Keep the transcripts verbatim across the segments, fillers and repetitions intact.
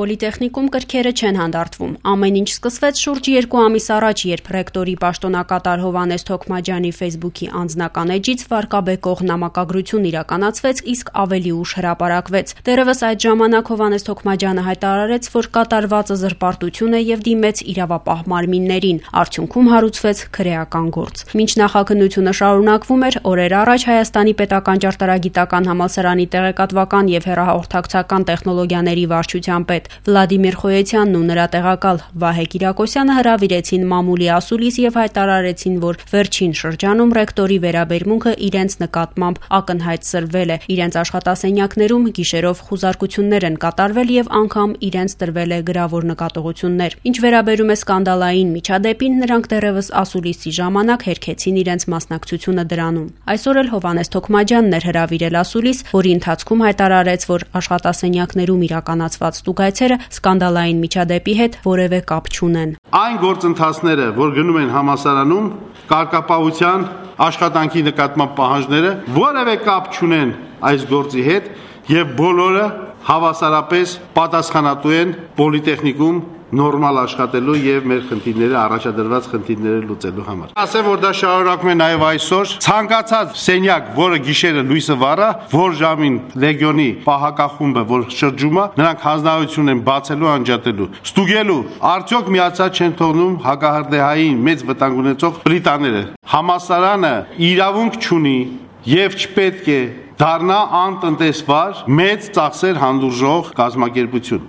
Պոլիտեխնիկում կրքերը չեն հանդարտվում։ Ամեն ինչ սկսվեց շուրջ երկու ամիս առաջ, երբ ռեկտորի պաշտոնակատար Հովհաննես Թոքմաջյանի Facebook-ի անձնական էջից վարկաբեկող նամակագրություն իրականացվեց, իսկ ավելի ուշ հրապարակվեց։ Դեռևս այդ ժամանակ Հովհաննես Թոքմաջյանը հայտարարեց, որ կատարվածը զրպարտություն է եւ դիմեց իրավապահ մարմիններին։ Արդյունքում հարուցվեց քրեական գործ։ Մինչ նախաքննությունը շարունակվում էր, օրեր առաջ Հայաստանի պետական ճարտարագիտական համալսարանի տեղեկատվական եւ հեռահաղորդակցական տեխնոլոգիաների վարչության պետ Վլադիմիր Խոյեցյանն ու նրա տեղակալ Վահե Կիրակոսյանը հրավիրեցին մամուլի ասուլիս եւ հայտարարեցին, որ վերջին շրջանում ռեկտորի վերաբերմունքը իրենց նկատմամբ ակնհայտ սրվել է։ Իրենց աշխատասենյակներում գիշերով խուզարկություններ են կատարվել եւ անգամ իրենց տրվել է գրավոր նկատողություններ։ Ինչ վերաբերում է սկանդալային միջադեպին, նրանք դեռևս ասուլիսի ժամանակ հերքեցին իրենց մասնակցությունը դրանում։ Այսօր էլ Հովհաննես Թոքմաջյանն էր հրավիրել ասուլիս, որի ընթացքում հայտարարեց, որ աշխատասենյակներում իրականացված ստուգայցերը սկանդալային միջադեպի հետ որևէ կապ չունեն։ Այն գործընթացները, որ գնում են համալսարանում, կարգապահության աշխատանքի նկատմամբ պահանջները որևէ կապ չունեն այս գործի հետ եւ բոլորը հավասարապես պատասխանատու են Պոլիտեխնիկում նորմալ աշխատելու եւ մեր խնդիրները առաջադրված խնդիրները լուծելու համար։ Ասեմ, որ դա շարունակվում է նաեւ այսօր։ Ցանկացած սենյակ, որը գիշերը լույսը վառա, որ ժամին լեգիոնի պահակախումբը, որ շրջում է, նրանք հանձնարարություն են բացելու, անջատելու, ստուգելու, արդյոք միացած չեն թողնում հակահրդեհային մեծ վտանգ ունեցող պլիտաները։ Համալսարանը իրավունք չունի եւ չպետք է դառնա անտնտեսվար մեծ ծախսեր հանդուրժող կազմակերպություն։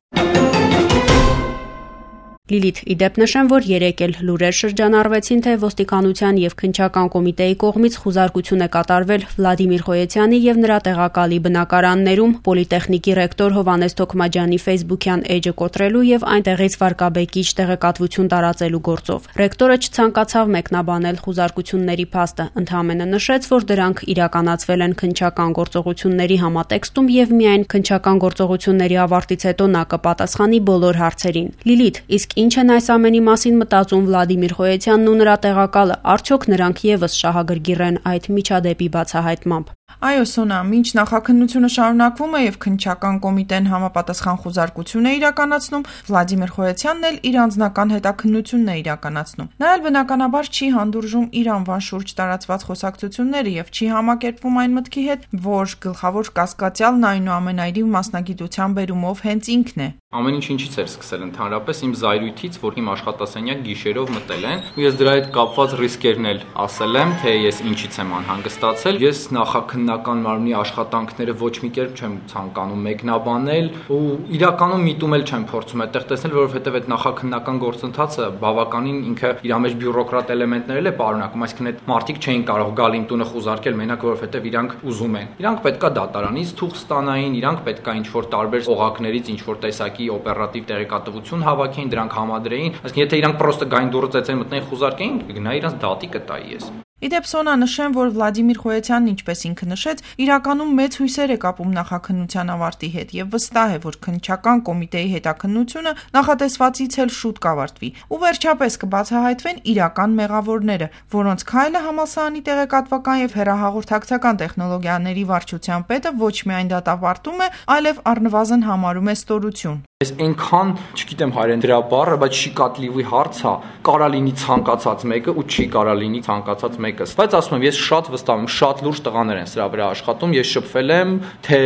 Լիլիթ, իդեպ նշեմ, որ երեկ էլ լուրեր շրջանառվեցին, թե ոստիկանության եւ քննչական կոմիտեի կողմից խուզարկություն է կատարվել Վլադիմիր Խոյեցյանի եւ նրա տեղակալի բնակարաններում Պոլիտեխնիկի ռեկտոր Հովհաննես Թոքմաջյանի Facebook-յան էջը կոտրելու եւ այնտեղից վարկաբեկիչ տեղեկատվություն տարածելու գործով։ Ռեկտորը չցանկացավ մեկնաբանել խուզարկությունների փաստը, ընդհանրապես նշեց, որ դրանք իրականացվել են քննչական գործողությունների համատեքստում եւ միայն քննչական գործողությունների ավարտից հետո նա կպատասխանի բոլոր հարցերին։ Լիլիթ, իսկ ինչ են այս ամենի մասին մտածում Վլադիմիր Խոյեցյանն ու նրա տեղակալը, արդյոք նրանք եւս շահագրգիռ են այդ միջադեպի բացահայտմամբ։ Այո, Սոնա, մինչ նախաքննությունը շարունակվում է եւ քննչական կոմիտեն համապատասխան խուզարկություն է իրականացնում, Վլադիմիր Խոյեցյանն էլ իր անձնական հետաքննությունն է իրականացնում։ Նա էլ բնականաբար չի հանդուրժում իր անվան շուրջ տարածված խոսակցությունները եւ չի համակերպվում այն մտքի հետ, որ գլխավոր կասկածյալն այնուամենայնիվ մասնագիտության բերումով հենց ինքն է։ Ամեն ինչ ինչից էր սկսել ընդհանրապես իմ զայրույթից, որ իմ աշխատասենյակ գիշերով մտել են, ու ես դրա հետ կապված ռիսկերն էլ ասել եմ, թե ես ինչից եմ անհանգստացել։ Ես նախաքննական մարմնի աշխատանքները ոչ մի կերպ չեմ ցանկանում մեկնաբանել ու իրականում միտում էլ չեմ փորձում այդտեղ տեսնել, որովհետև այդ նախաքննական գործընթացը բավականին ինքը իր մեջ բյուրոկրատ էլեմենտներ է պարունակում, այսինքն այդ մարդիկ չէին կարող գալ իմ տունը խուզարկել մենակ որովհետև իրանք ուզում են։ Իրանք պետքա դատարանից թուղթ ստանային, իրանք պետքա ինչ-որ տարբեր օղակներից ինչ-որ տեսակի օպերատիվ տեղեկատվություն հավաքեին, դրանք համադրեին, այսինքն եթե իրանք պրոստը գային դուրը ծեծեն մտնեն խուզարկեին, գնա իրանք դատի կտայի ես։ Իդեպ Սոնա, նշեմ, որ Վլադիմիր Խոյեցյանն, ինչպես ինքը նշեց, իրականում մեծ հույսեր է կապում նախաքննության ավարտի հետ եւ վստահ է, որ քննչական կոմիտեի հետաքննությունը նախատեսվածից էլ շուտ կավարտվի։ Ու վերջապես կբացահայտվեն իրական մեղավորները, որոնց քայլը համալսարանի տեղեկատվական եւ հեռահաղորդակցական տեխնոլոգիաների վարչության պետը ոչ միայն դատապարտում է, այլև առնվազն համարում է ստորություն։ Ես այնքան, չգիտեմ հայերեն դրա բառը, բայց չի կատլիվի հարց է, կարա լինի ցանկացած մեկը ու չի կարա լինի ցանկացած մեկը։ Բայց ասում եմ, ես շատ վստահ եմ, շատ լուրջ տղաներ են սրա վրա աշխատում, ես շփվել եմ, թե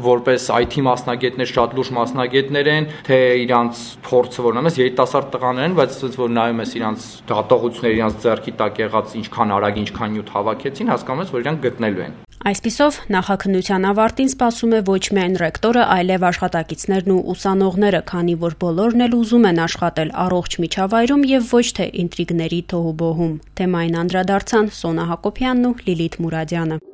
որպես այ թի մասնագետներ շատ լուրջ մասնագետներ են, թե իրանց փորձը որն ամես երիտասարդ տղաներ են, բայց ոնց որ նայում ես իրանց դատողությունները, իրանց ձեռքի տակ եղած ինչքան արագ, ինչքան նյութ հավաքեցին, հասկանում ես, որ իրանք գտնելու են։ Այսպիսով, նախաքննության ավարտին սպասում է ոչ միայն ռեկտորը, այլև աշխատակիցներն ու ուսանողները, քանի որ բոլորն էլ ուզում են աշխատել առողջ միջավայրում եւ ոչ թե ինտրիգների թոհուբոհում։ Թեմային անդրադարձան Սոնա Հակոբյանն ու Լիլիթ Մուրադյանը։